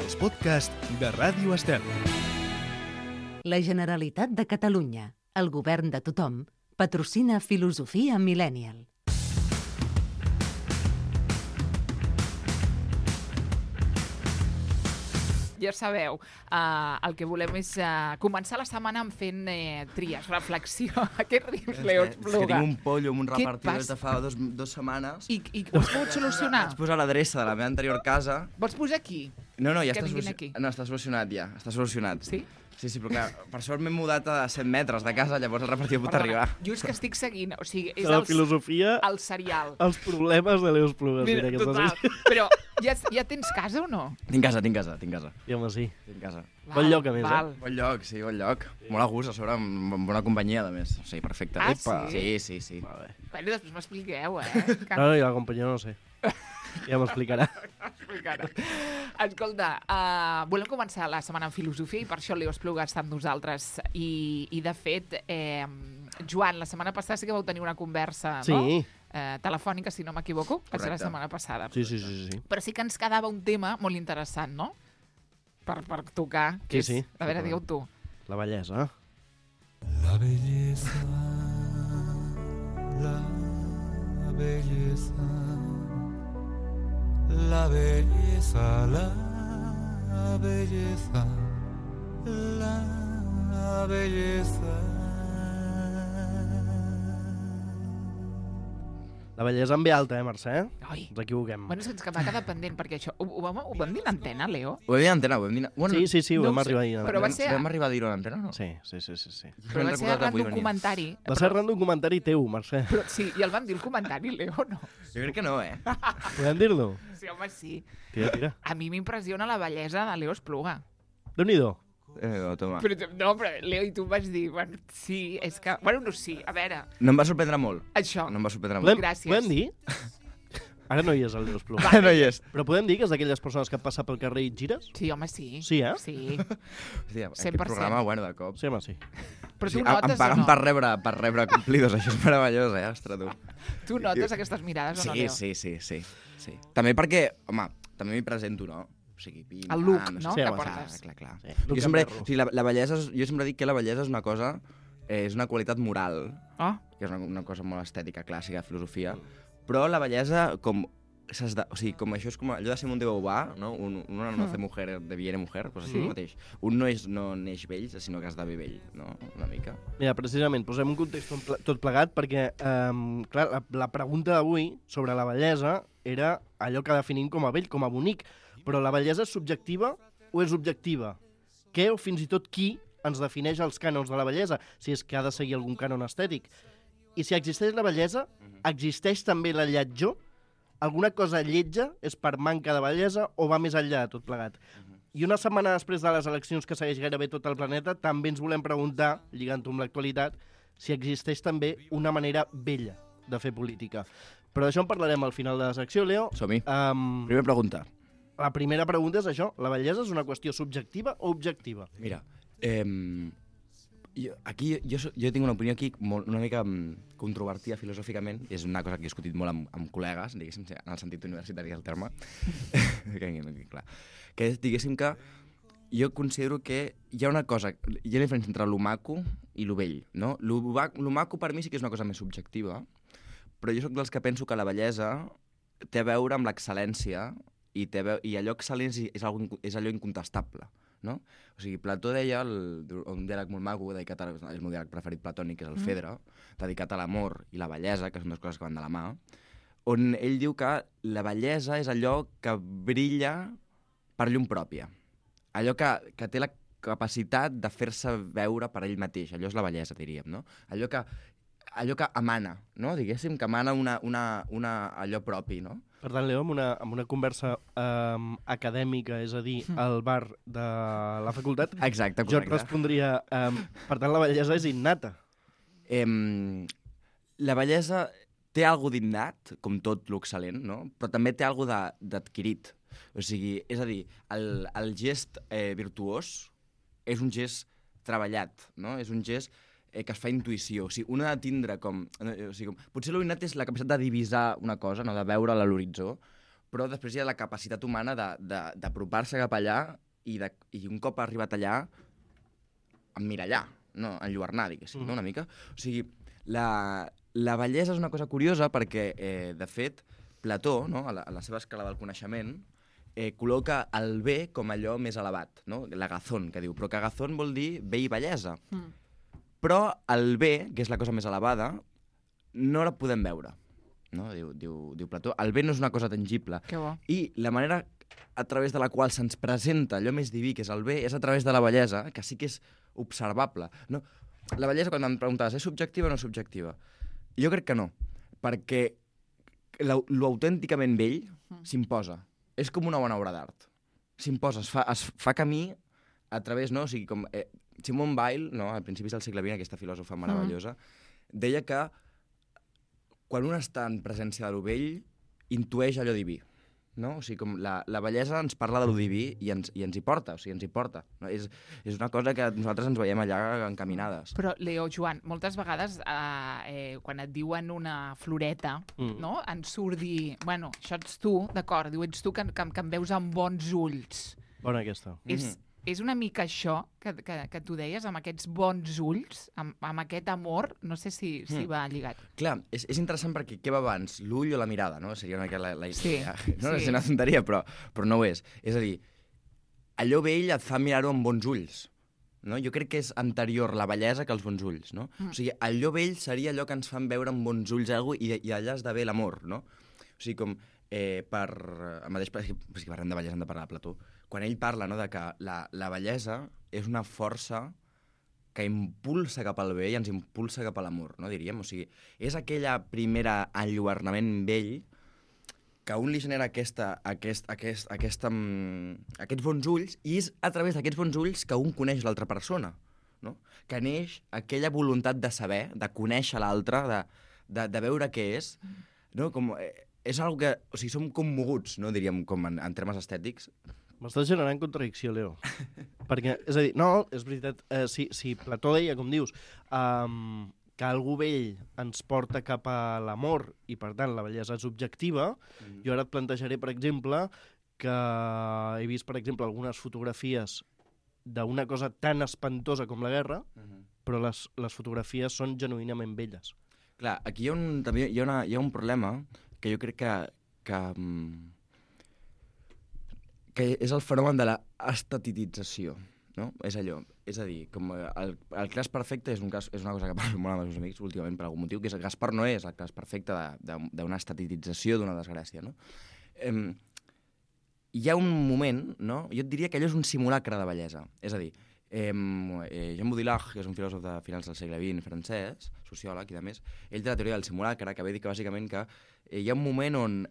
els podcasts de Ràdio Estel. La Generalitat de Catalunya, el govern de tothom, patrocina Filosofia Millennial. Ja sabeu, el que volem és començar la setmana fent tries, reflexió. Què rius, Leo? És que tinc un pollo amb un Què repartidor passa? des de fa dues setmanes. I ho has pogut solucionar? Vaig posar l'adreça de la meva anterior casa. Vols posar aquí? No, ja Que està vinguin aquí. No, està solucionat ja, està solucionat. Sí? Sí, però clar, per sort m'he mudat a 100 metres de casa, llavors el repartidor pot arribar. Jo és que estic seguint, o sigui, és De la filosofia, el serial. els problemes de Leos Plugues. Mira, total. Però ja tens casa o no? Tinc casa. I home, sí. Tinc casa. Bon lloc, a més, Bon lloc, sí, bon lloc. Molt a gust, a sobre, amb bona companyia, a més. Sí, perfecte. Ah, Epa. sí? Sí. Vale. Bueno, després m'expliqueu, No, i la companyia no sé. Ja m'explicarà. Escolta, volem començar la setmana en filosofia i per això Leo Espluga està amb nosaltres. I de fet, Joan, la setmana passada sí que vau tenir una conversa, Sí. no? Telefònica, si no m'equivoco, va ser la Correcte. setmana passada. Sí. Però sí que ens quedava un tema molt interessant, no? Per tocar. Que Sí. és... A veure, digue-ho tu. La bellesa. La belleza, la belleza, la belleza, la belleza, la belleza. La bellesa en ve alta, Mercè? Ai. Ens equivoquem. Bueno, és que ens va quedar pendent, perquè això... Ho vam dir en antena, Leo? Ho vam dir a l'antena, ho vam dir... Bueno, Sí, ho no vam ho sé, arribar a dir. però va ser- Vam arribar a dir-ho a l'antena, no? Sí. Però va ser arran d'un comentari. Va ser arran d'un comentari teu, Mercè. Però, sí, i el vam dir el comentari, Leo, no? Jo crec que no, Podem dir-lo? Sí, home, sí. Tira. A mi m'impressiona la bellesa de Leo Espluga. Déu-n'hi-do. Toma. Però Leo, i tu em vas dir, bueno, sí, és que... Bueno, no, sí, a veure, No em va sorprendre molt. això. No em va sorprendre molt. Gràcies. Podem dir? Ara no hi és el Leos Plugues. No hi és. Però podem dir que és d'aquelles persones que passa pel carrer i et gires? Sí, home, sí. Sí, eh? Sí. Hòstia, 100%. aquest programa, bueno, de cop. Sí, home, sí. Però Sí, tu notes em paguen o no? per rebre complidos, això és meravellós, ostres, tu. Tu notes aquestes mirades o no, Leo? Sí. També perquè, home, també m'hi presento, no? O sigui, pim, El look, pam, no?, Sí, que home, portes. Clar. Sí, Jo look sempre, and perro. o sigui, la bellesa, jo sempre dic que la bellesa és una cosa, és una qualitat moral, Oh, que és una cosa molt estètica, clàssica, de filosofia, però la bellesa, com això és com allò de Simone de Beauvoir, no? Uno no nace mujer, deviene mujer, doncs Sí. això mateix. Un no neix vell, sinó que has de viver vell, no? Una mica. Mira, precisament, posem un context tot plegat perquè, clar, la pregunta d'avui sobre la bellesa era allò que definim com a bell, com a bonic. Però la bellesa és subjectiva o és objectiva? Què o fins i tot qui ens defineix els cànons de la bellesa, si és que ha de seguir algun cànon estètic? I si existeix la bellesa, existeix també la lletjor? Alguna cosa lletja és per manca de bellesa o va més enllà de tot plegat? I una setmana després de les eleccions que segueix gairebé tot el planeta, també ens volem preguntar, lligant-ho amb l'actualitat, si existeix també una manera bella de fer política. Però d'això en parlarem al final de la secció, Leo. Som-hi. Primera pregunta. La primera pregunta és això. La bellesa és una qüestió subjectiva o objectiva? Mira, jo tinc una opinió aquí una mica controvertida filosòficament, i és una cosa que he discutit molt amb col·legues, diguéssim, en el sentit universitari del terme, clar, que és, diguéssim, que jo considero que hi ha una cosa, hi ha una diferència entre lo maco i lo vell, no? Lo maco per mi sí que és una cosa més subjectiva, però jo sóc dels que penso que la bellesa té a veure amb l'excel·lència i allò excel·lent és allò incontestable, no? O sigui, Plató deia, un diàleg molt maco, dedicat és el meu diàleg preferit platònic, que és el Fedre, dedicat a l'amor i la bellesa, que són dues coses que van de la mà, on ell diu que la bellesa és allò que brilla per llum pròpia. Allò que té la capacitat de fer-se veure per ell mateix. Allò és la bellesa, diríem, no? Allò que emana, no? Diguéssim, que emana allò propi, no? Per tant, Leo, amb una conversa acadèmica, és a dir, al bar de la facultat, Exacte, jo et correcte. respondria, per tant, la bellesa és innata. La bellesa té algo d'innat, com tot l'excel·lent, no? Però també té algo d'adquirit. O sigui, és a dir, el gest virtuós és un gest treballat, no? És un gest que es fa intuïció. O sigui, un ha de tindre com... O sigui, potser l'innat és la capacitat de divisar una cosa, no? De veure-la a l'horitzó, però després hi ha la capacitat humana d'apropar-se cap allà i un cop ha arribat allà, emmirallar, no? Enlluernar, diguéssim, no? Una mica. O sigui, la bellesa és una cosa curiosa perquè, de fet, Plató, no? a la seva escala del coneixement, col·loca el bé com allò més elevat, no? L'agazón, que diu, però que agazón vol dir bé i bellesa. Però el bé, que és la cosa més elevada, no la podem veure, no? Diu Plató. El bé no és una cosa tangible. Que bo. I la manera a través de la qual se'ns presenta allò més diví, que és el bé, és a través de la bellesa, que sí que és observable. No? La bellesa, quan em preguntaves, és subjectiva o no subjectiva? Jo crec que no, perquè l'autènticament vell s'imposa. És com una bona obra d'art. S'imposa, es fa camí a través, no? O sigui, com Simone Weil, no? Al principis del segle XX, aquesta filòsofa meravellosa, deia que quan un està en presència de lo vell, intueix allò diví. No? O sigui, com la bellesa ens parla de lo diví i ens hi porta, o sigui, ens hi porta. No? És una cosa que nosaltres ens veiem allà encaminades. Però, Leo, Joan, moltes vegades quan et diuen una floreta, no? En surt dir, bueno, això ets tu, d'acord, diu, ets tu que em veus amb bons ulls. Bona aquesta. És una mica això que tu deies, amb aquests bons ulls, amb aquest amor, no sé si va lligat. Clar, és interessant perquè què va abans, l'ull o la mirada, no? Seria una mica la idea. No és una tonteria, però no ho és. És a dir, allò vell et fa mirar-ho amb bons ulls. No? Jo crec que és anterior la bellesa que els bons ulls. No? O sigui, allò vell seria allò que ens fan veure amb bons ulls algú i allà esdevé l'amor. No? O sigui, com el mateix, si parlem de bellesa hem de parlar de Plató, quan ell parla, no, de que la bellesa és una força que impulsa cap al bé i ens impulsa cap a l'amor, no, diríem. O sigui, és aquella primera enlluernament vell que a un li genera aquests bons ulls i és a través d'aquests bons ulls que un coneix l'altra persona, no? Que neix aquella voluntat de saber, de conèixer l'altre, de veure què és, no? Com, és una que... O sigui, som commoguts, no, diríem, com en termes estètics. M'estàs generant contradicció, Leo. Perquè, és a dir, no, és veritat, si Plató deia, com dius, que algú vell ens porta cap a l'amor i, per tant, la bellesa és objectiva, jo ara et plantejaré, per exemple, que he vist, per exemple, algunes fotografies d'una cosa tan espantosa com la guerra, però les fotografies són genuïnament belles. Clar, aquí també hi ha un problema que jo crec que és el fenomen de l'estetitització, no? És allò. És a dir, com el cas perfecte és una cosa que parlo molt amb els meus amics últimament per algun motiu, que és que Gaspar Noé és el cas perfecte d'una estetitització d'una desgràcia, no? Hi ha un moment, no? Jo et diria que allò és un simulacre de bellesa. És a dir, Jean Baudrillard, que és un filòsof de finals del segle XX francès, sociòleg i de més, ell té la teoria del simulacre, que ve dir que bàsicament que hi ha un moment on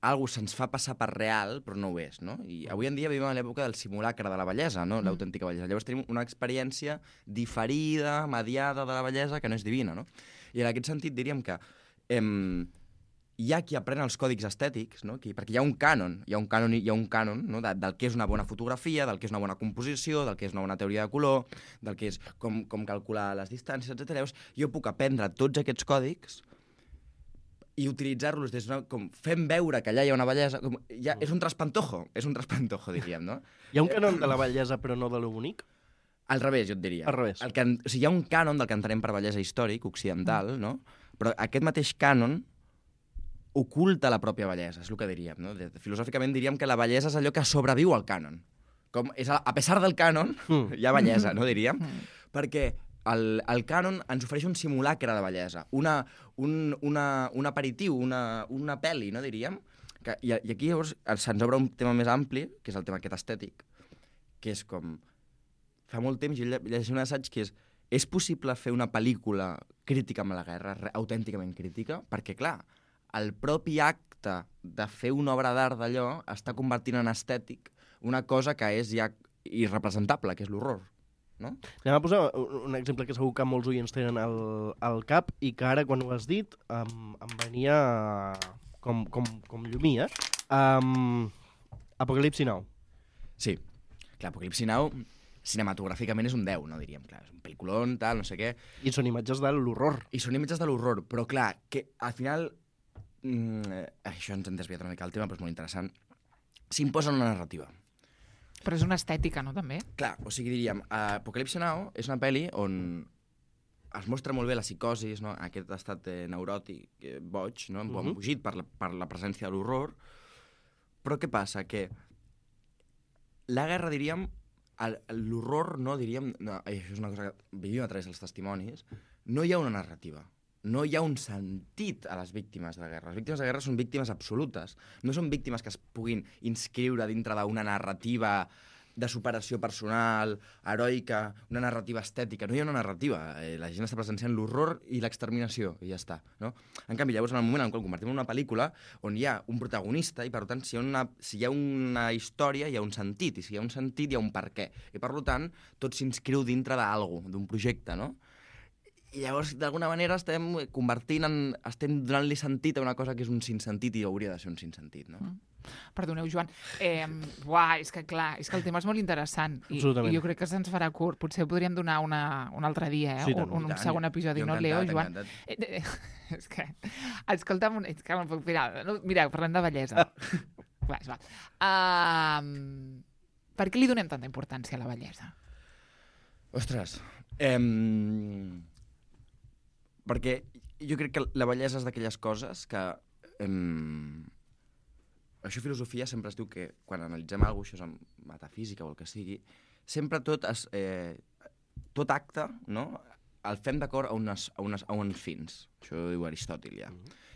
algú se'ns fa passar per real, però no ho és, no? I avui en dia vivim a l'època del simulacre de la bellesa, no? L'autèntica bellesa. Llavors tenim una experiència diferida, mediada de la bellesa, que no és divina, no? I en aquest sentit diríem que hi ha qui aprèn els còdics estètics, no? Perquè hi ha un cànon, no? Del que és una bona fotografia, del que és una bona composició, del que és una bona teoria de color, del que és com calcular les distàncies, etc. Llavors, jo puc aprendre tots aquests còdics i utilitzar-los com fent veure que allà hi ha una bellesa. És un traspantojo, diríem, no? Hi ha un cànon de la bellesa però no de lo bonic? Al revés, jo et diria. Al revés. O sigui, hi ha un cànon del que entenem per bellesa històric, occidental, no? Però aquest mateix cànon oculta la pròpia bellesa, és el que diríem, no? Filosòficament diríem que la bellesa és allò que sobreviu al cànon. A pesar del cànon, hi ha bellesa, no diríem? Perquè el cànon ens ofereix un simulacre de bellesa, un aperitiu, una pel·li, no diríem? I aquí llavors se'ns obre un tema més ampli, que és el tema aquest estètic, que és com... Fa molt temps jo llegeixo un assaig que és possible fer una pel·lícula crítica amb la guerra, autènticament crítica? Perquè, clar, el propi acte de fer una obra d'art d'allò està convertint en estètic una cosa que és ja irrepresentable, que és l'horror. No? Anem a posar un exemple que segur que molts oients tenen al cap i que ara, quan ho has dit, em venia com llumí, Apocalipsi Now. Sí. Clar, Apocalipsi Now cinematogràficament és un 10, no diríem. Clar, és un pel·lículon, tal, no sé què. I són imatges de l'horror. Però clar, que al final això ens hem desviat una mica del tema, però és molt interessant, s'imposa una narrativa. Però és una estètica, no, també? Clar, o sigui, diríem, Apocalipsi Now és una pel·li on es mostra molt bé la psicosi, no? Aquest estat neuròtic, boig, no? Embogit per la presència de l'horror. Però què passa? Que la guerra, diríem, l'horror, no, diríem, no, això és una cosa que vivim a través dels testimonis, no hi ha una narrativa. No hi ha un sentit a les víctimes de la guerra. Les víctimes de la guerra són víctimes absolutes. No són víctimes que es puguin inscriure dintre d'una narrativa de superació personal, heroica, una narrativa estètica. No hi ha una narrativa. La gent està presenciant l'horror i l'exterminació, i ja està. No? En canvi, llavors, en el moment en què el convertim en una pel·lícula on hi ha un protagonista i, per tant, si hi ha una història, hi ha un sentit, i si hi ha un sentit, hi ha un per què. I, per tant, tot s'inscriu dintre d'algú, d'un projecte, no? I llavors, d'alguna manera, estem donant-li sentit a una cosa que és un sinssentit i hauria de ser un sinssentit, no? Perdoneu, Joan. És que clar, és que el tema és molt interessant i jo crec que se'ns farà curt. Potser podríem donar un altre dia, Sí, un segon episodi, no, Leo, Joan? És que, escolta'm, és que no puc mirar. Mira, parlem de bellesa. Va. Per què li donem tanta importància a la bellesa? Ostres, perquè jo crec que la bellesa és d'aquelles coses que... Això a filosofia sempre es diu que quan analitzem alguna cosa, això és metafísica o el que sigui, sempre tot acte, no?, el fem d'acord a uns fins. Això ho diu Aristòtil, ja.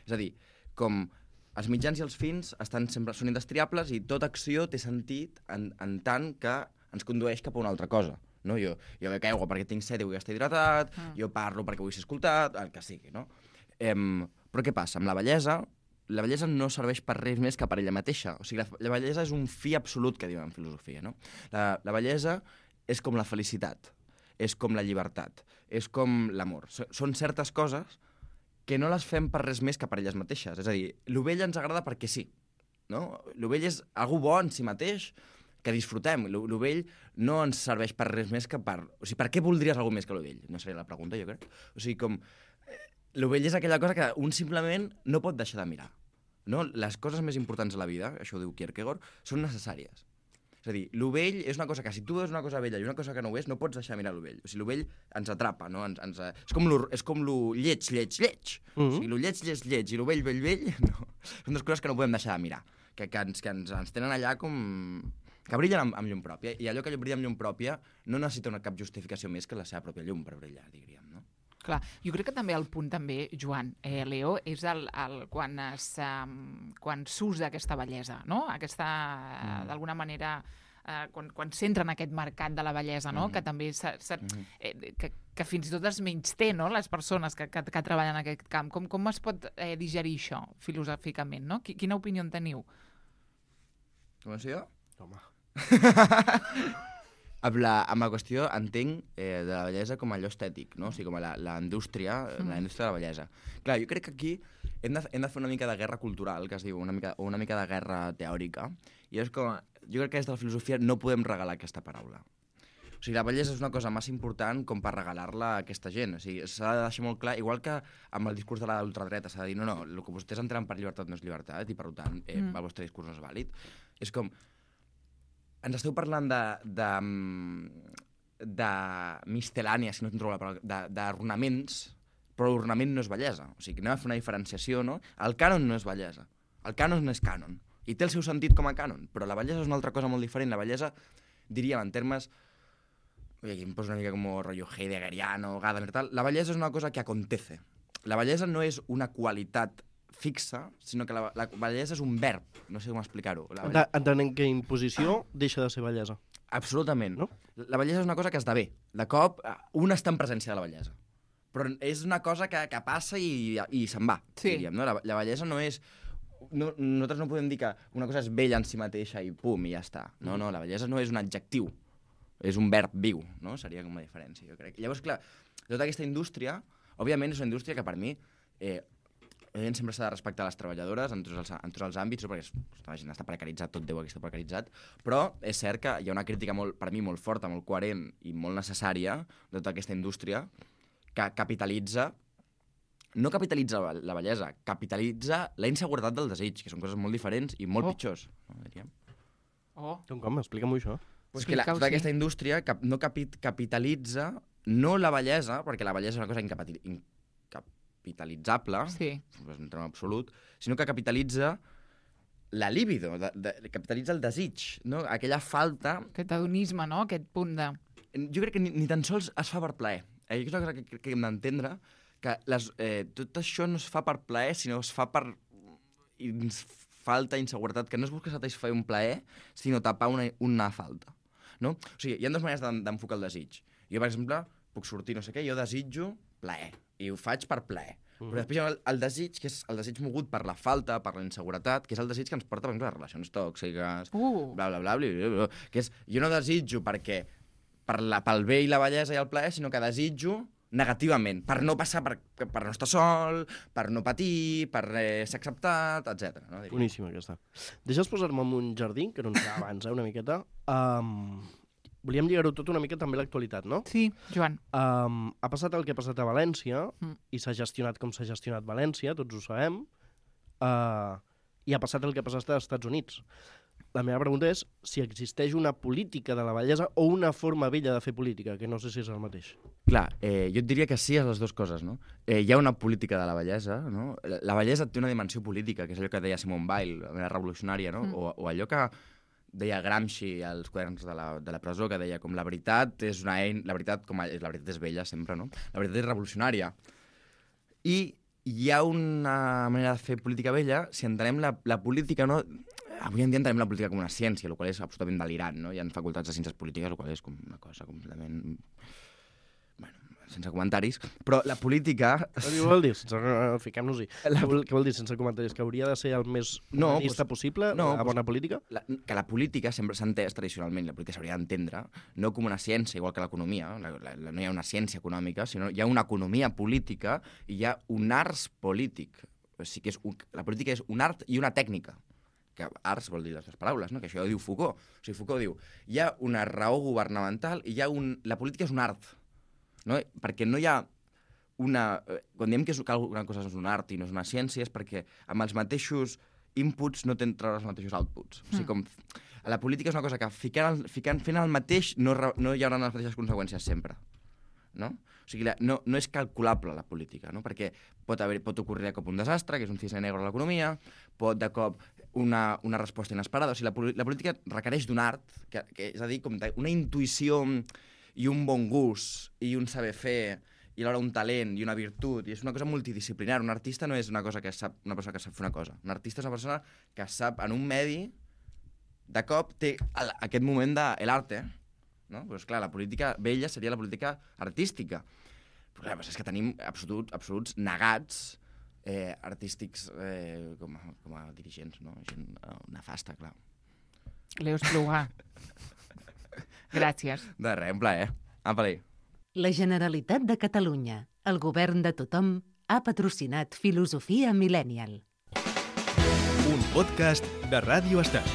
És a dir, com els mitjans i els fins són indestriables i tota acció té sentit en tant que ens condueix cap a una altra cosa. No? Jo bec aigua perquè tinc set i vull estar hidratat, jo parlo perquè vull ser escoltat, el que sigui, no? Però què passa? Amb la bellesa no serveix per res més que per ella mateixa. O sigui, la bellesa és un fi absolut, que diuen en filosofia, no? La bellesa és com la felicitat, és com la llibertat, és com l'amor. Són certes coses que no les fem per res més que per elles mateixes. És a dir, lo bell ens agrada perquè sí, no? Lo bell és algú bo en si mateix, que disfrutem. Lo vell no ens serveix per res més que per... O sigui, per què voldries alguna més que lo vell? No seria la pregunta, jo crec. O sigui, com... Lo vell és aquella cosa que un simplement no pot deixar de mirar. No? Les coses més importants de la vida, això ho diu Kierkegaard, són necessàries. És a dir, lo vell és una cosa que si tu veus una cosa bella i una cosa que no ho és, no pots deixar de mirar lo vell. O sigui, lo vell ens atrapa, no? És com lo lleig. O sigui, lo lleig i lo vell, no. Són dues coses que no podem deixar de mirar. Que ens tenen allà com... que brillen amb llum pròpia, i allò que brilla amb llum pròpia no necessita cap justificació més que la seva pròpia llum per brillar, diríem, no? Clar, jo crec que també el punt, Joan, Leo, és quan s'usa aquesta bellesa, no? D'alguna manera, quan s'entra en aquest mercat de la bellesa, no? Que també que fins i tot es menysté, no? Les persones que treballen en aquest camp. Com es pot digerir això, filosòficament, no? Quina opinió en teniu? Començo jo? Home. Amb la qüestió entenc de la bellesa com allò estètic, no? O sigui, com la indústria de la bellesa. Clar, jo crec que aquí hem de fer una mica de guerra cultural, que es diu, una mica de guerra teòrica, i és com, jo crec que des de la filosofia no podem regalar aquesta paraula. O sigui, la bellesa és una cosa massa important com per regalar-la a aquesta gent. O sigui, s'ha de deixar molt clar, igual que amb el discurs de l'ultradreta s'ha de dir no, el que vostès entenen per llibertat no és llibertat i per tant el vostre discurs no és vàlid. És com... Ens esteu parlant de mistel·lània, si no trobo la paraula, d'ornaments, però l'ornament no és bellesa. O sigui, anem a fer una diferenciació, no? El cànon no és bellesa. El cànon no és cànon. I té el seu sentit com a cànon, però la bellesa és una altra cosa molt diferent. La bellesa, diríem, en termes... Aquí em poso una mica com rotllo heideggeriano, Gadamer, tal. La bellesa és una cosa que acontece. La bellesa no és una qualitat fixa, sinó que la bellesa és un verb. No sé com explicar-ho. Entenent que imposició deixa de ser bellesa. Absolutament. No? La bellesa és una cosa que esdevé. De cop, un està en presència de la bellesa. Però és una cosa que passa i se'n va, diríem. No? La bellesa no és... nosaltres no podem dir que una cosa és bella en si mateixa i pum, i ja està. No, la bellesa no és un adjectiu. És un verb viu, no? Seria com una diferència, jo crec. Llavors, clar, tota aquesta indústria, òbviament és una indústria que per mi... sempre s'ha de respectar les treballadores en tots els àmbits, perquè la gent està precaritzat, tot Déu aquí està precaritzat, però és cert que hi ha una crítica per mi molt forta, molt coherent i molt necessària de tota aquesta indústria que capitalitza no capitalitza la bellesa, capitalitza la inseguretat del desig, que són coses molt diferents i molt pitjors, no, diríem. Com? Explica-m'ho això. Pues que aquesta indústria no capitalitza no la bellesa, perquè la bellesa és una cosa incapitalitzable, en terme absolut, sinó que capitalitza la libido, capitalitza el desig, no? Aquella falta... Aquest hedonisme, no? Aquest punt de... Jo crec que ni tan sols es fa per plaer. És una cosa que hem d'entendre, que tot això no es fa per plaer, sinó es fa per falta, inseguretat, que no es busca satisfer un plaer, sinó tapar una falta. No? O sigui, hi ha dues maneres d'enfocar el desig. Jo, per exemple, puc sortir no sé què, jo desitjo plaer, i ho faig per plaer. Però després hi ha el desig, que és el desig mogut per la falta, per la inseguretat, que és el desig que ens porta, per exemple, a relacions tòxiques, bla, bla, bla, bla, bla, que és, jo no desitjo perquè pel bé i la bellesa i el plaer, sinó que desitjo negativament, per no passar, per no estar sol, per no patir, per ser acceptat, etc. No? Boníssima aquesta. Deixa'ls posar-me en un jardí, que no ens queda abans, una miqueta. Volíem lligar-ho tot una mica també a l'actualitat, no? Sí, Joan. Ha passat el que ha passat a València i s'ha gestionat com s'ha gestionat València, tots ho sabem, i ha passat el que ha passat als Estats Units. La meva pregunta és si existeix una política de la bellesa o una forma vella de fer política, que no sé si és el mateix. Clar, jo et diria que sí a les dues coses, no? Hi ha una política de la bellesa, no? La bellesa té una dimensió política, que és allò que deia Simone Weil, la revolucionària, no? O allò que deia Gramsci als quaderns de la presó, que deia com la veritat és una eina, la veritat és vella sempre, no? La veritat és revolucionària. I hi ha una manera de fer política vella si entenem la política, no? Avui en dia entenem la política com una ciència, el qual és absolutament delirant, no? Hi ha facultats de ciències polítiques, el qual és com una cosa completament... Bueno, sense comentaris, però la política... Què vol dir? Fiquem-nos-hi. Què vol dir sense comentaris? Que hauria de ser el més humanista possible, la bona política? Que la política sempre s'ha entès tradicionalment, la política s'hauria d'entendre, no com una ciència, igual que l'economia, no hi ha una ciència econòmica, sinó hi ha una economia política i hi ha un art polític. O sigui que la política és un art i una tècnica. Que arts vol dir les dues paraules, no? Que això ho diu Foucault. O sigui, Foucault diu, hi ha una raó governamental i la política és un art. No? Perquè no hi ha una... Quan diem que una cosa és un art i no és una ciència és perquè amb els mateixos inputs no tens els mateixos outputs. O sigui, com... La política és una cosa que fent el mateix no hi haurà les mateixes conseqüències sempre. No? O sigui, no és calculable la política, no? Perquè pot ocorrir de cop un desastre, que és un cisne negre a l'economia, pot de cop una resposta inesperada. O sigui, la política requereix d'un art, que és a dir, com una intuïció i un bon gust i un saber fer i alhora un talent i una virtut, i és una cosa multidisciplinar. Un artista no és una persona que sap fer una cosa. Un artista és una persona que sap en un medi, de cop té aquest moment de l'arte, no? Però, esclar, la política vella seria la política artística. Però clar, és que tenim absoluts negats artístics com a dirigents, no? Gent nefasta, clar. Leo Espluga. Gràcies. De res, un plaer. Apa-li. La Generalitat de Catalunya, el govern de tothom, ha patrocinat Filosofia Millennial. Un podcast de Ràdio Estel.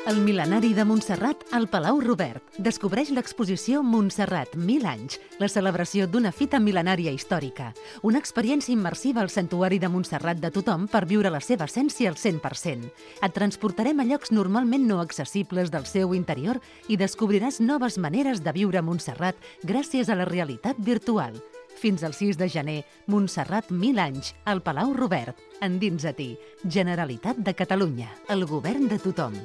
El mil·lenari de Montserrat al Palau Robert descobreix l'exposició Montserrat 1000 anys, la celebració d'una fita mil·lenària històrica, una experiència immersiva al santuari de Montserrat de tothom per viure la seva essència al 100%. Et transportarem a llocs normalment no accessibles del seu interior i descobriràs noves maneres de viure Montserrat gràcies a la realitat virtual. Fins al 6 de gener, Montserrat 1000 anys, al Palau Robert. Endins a ti, Generalitat de Catalunya, el govern de tothom.